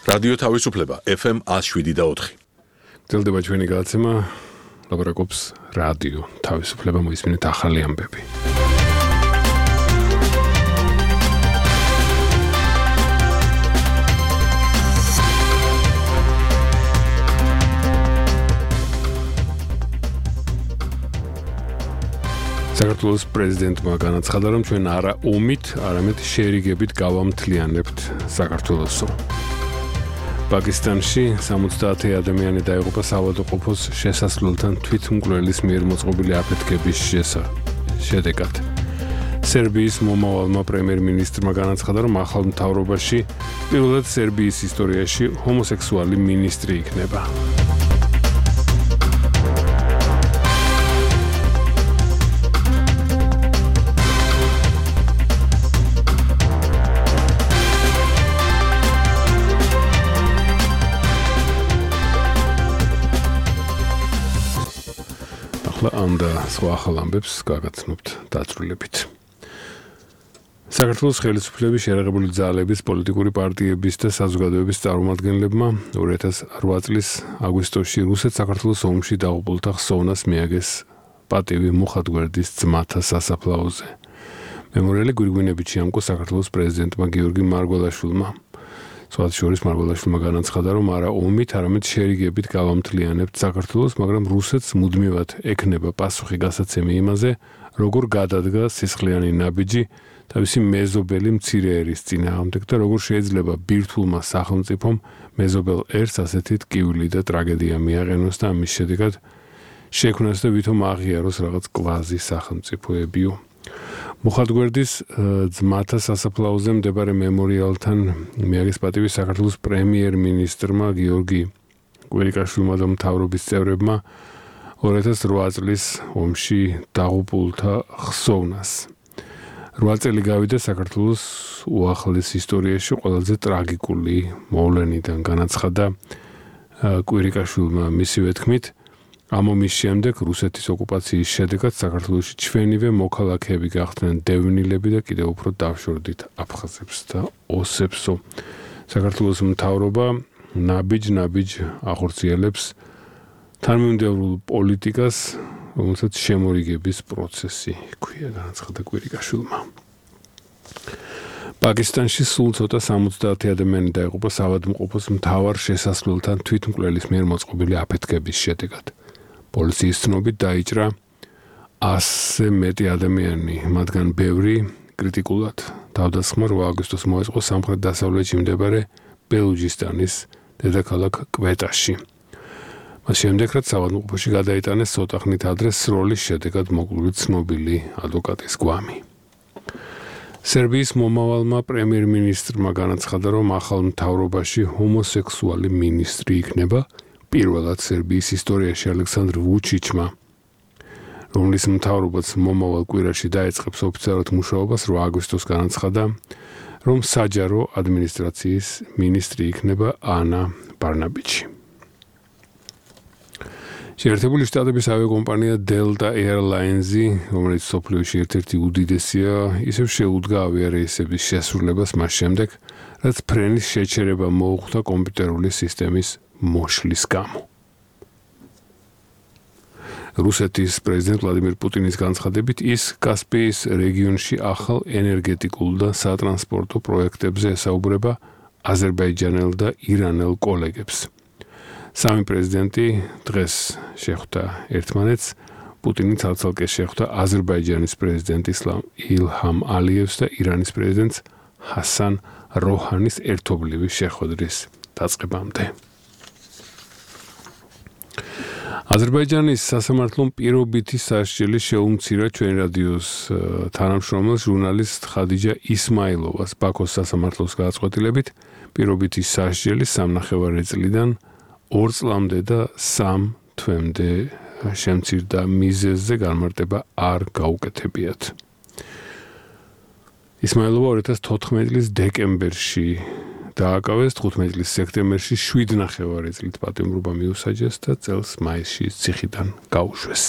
რადიო თავისუფლება FM 107.4. გრძელდება ჩვენი გადაცემა, ლაპარაკობს რადიო თავისუფლება, მოისმინეთ ახალი ამბები. საქართველოს პრეზიდენტმა განაცხადა, რომ ჩვენ არა ომით, არამედ შერიგებით გავამთლიანებთ საქართველოსო. პაკისტანში 70 ადამიანი დაიღუპა საავადმყოფოს შესასვლელთან თვითმკვლელის მიერ მოწყობილი აფეთქების შედეგად. სერბიის მომავალმა პრემიერ-მინისტრმა განაცხადა, რომ ახალ მთავრობაში პირველად სერბიის ისტორიაში ჰომოსექსუალი მინისტრი იქნება. ამ და სხვა ახალ ამბებს გაგაცნობთ დაწვრილებით. საქართველოს ხელისუფლების შეერაღებული ძალების, პოლიტიკური პარტიების და საზოგადოების წარმომადგენლებმა 2008 წლის აგვისტოში რუსეთ-საქართველოს ომში დაღუპულთა ხსოვნას მიაგეს პატივი მუხათგვერდის ძმათა სასაფლაოზე. მემორიალი გვირგვინებით შეამკო საქართველოს პრეზიდენტმა გიორგი მარგველაშვილმა. სხვათა შორის მარგველაშვილმა განაცხადა, რომ არა ომით, არამედ შერიგებით გავამთლიანებთ საქართველოს, მაგრამ რუსეთს მუდმივად ექნება პასუხი გასაცემი იმაზე, როგორ გადადგა სისხლიანი ნაბიჯი თავისი მეზობელი მცირე ერის წინააღმდეგ და როგორ შეიძლება ბირთვულმა სახელმწიფომ მეზობელ ერს ასეთი ტკივილი და ტრაგედია მიაყენოს და ამის შედეგად შექმნას და ვითომ აღიაროს რაღაც კვაზი სახელმწიფოებიო. მუხათგვერდის ძმათა სასაფლაოზე მდებარე მემორიალთან მიაგეს პატივი საქართველოს პრემიერ-მინისტრმა გიორგი კვირიკაშვილმა და მთავრობის წევრებმა 2008 წლის ომში დაღუპულთა ხსოვნას. 8 წელი გავიდა საქართველოს უახლეს ისტორიაში ყველაზე ტრაგიკული მოვლენიდან, განაცხადა კვირიკაშვილმა მისივე თქმით. ამ ომის შემდეგ რუსეთის ოკუპაციის შედეგად საქართველოში ჩვენივე მოქალაქეები გახდნენ დევნილები და კიდევ უფრო დავშორდით აფხაზებს და ოსებსო. საქართველოს მთავრობა ნაბიჯ ახორციელებს თანმიმდევრულ პოლიტიკას, რომელსაც შემორიგების პროცესი ჰქვია, განაცხადა კვირიკაშვილმა. პაკისტანში სულ ცოტა 70 ადამიანი დაიღუპა საავადმყოფოს მთავარ შესასვლელთან თვითმკვლელის მიერ მოწყობილი აფეთქების შედეგად. პოლიციის ცნობით დაიჭრა 100-ზე მეტი ადამიანი, მათგან ბევრი კრიტიკულად. თავდასხმა 8 აგვისტოს მოეწყო სამხრეთ-დასავლეთში მდებარე ბელუჯისტანის დედაქალაქ კვეტაში. მას შემდეგ, რაც საავადმყოფოში გადაიტანეს ცოტა ხნით ადრე სროლის შედეგად მოკლული ცნობილი ადვოკატის გვამი. სერბიის მომავალმა პრემიერ-მინისტრმა განაცხადა, რომ ახალ მთავრობაში ჰომოსექსუალი მინისტრი იქნება. პირველად სერბიის ისტორიაში ალექსანდრ ვუჩიჩმა, რომლის მთავრობაც მომავალ კვირაში დაეწყებს ოფიციალურად მუშაობას, 8 აგვისტოს განაცხადა, რომ საჯარო ადმინისტრაციის მინისტრი იქნება ანა ბარნაბიჩი. შეერთებული შტატების ავიაკომპანია Delta Airlines-ი, რომელიც მსოფლიოში ერთ-ერთი უდიდესია, ისევ შეუდგა ავიარეისების შესრულებას მას შემდეგ, რაც ფრენის შეჩერება მოუხდა კომპიუტერული სისტემის მოშლის გამო. რუსეთის პრეზიდენტ ვლადიმერ პუტინის განცხადებით, ის კასპიის რეგიონში ახალ ენერგეტიკულ და სატრანსპორტო პროექტებზე ესაუბრება აზერბაიჯანელ და ირანელ კოლეგებს. სამი პრეზიდენტი დღეს შეხვდა ერთმანეთს, პუტინი ცალ-ცალკე შეხვდა აზერბაიჯანის პრეზიდენტ ილჰამ ალიევს და ირანის პრეზიდენტ ჰასან როჰანის ერთობლივი შეხვედრის დაწყებამდე. აზერბაიჯანის სასამართლომ პირობითი სასჯელი შეუმცირა ჩვენ რადიოს თანამშრომელ ჟურნალისტ ხადიჯა ისმაილოვას ბაქოს სასამართლოს გადაწყვეტილებით პირობითი სასჯელი 3.5 წლიდან 2 წლამდე და 3 თვემდე შემცირდა მიზეზზე განმარტება არ გაუკეთებიათ. ისმაილოვა 2014 წლის დეკემბერში დააკავეს, 15 წლის სექტემბერში 7.5 წლით პატიმრობა მიუსაჯეს და წელს მაისში ციხიდან გაუშვეს.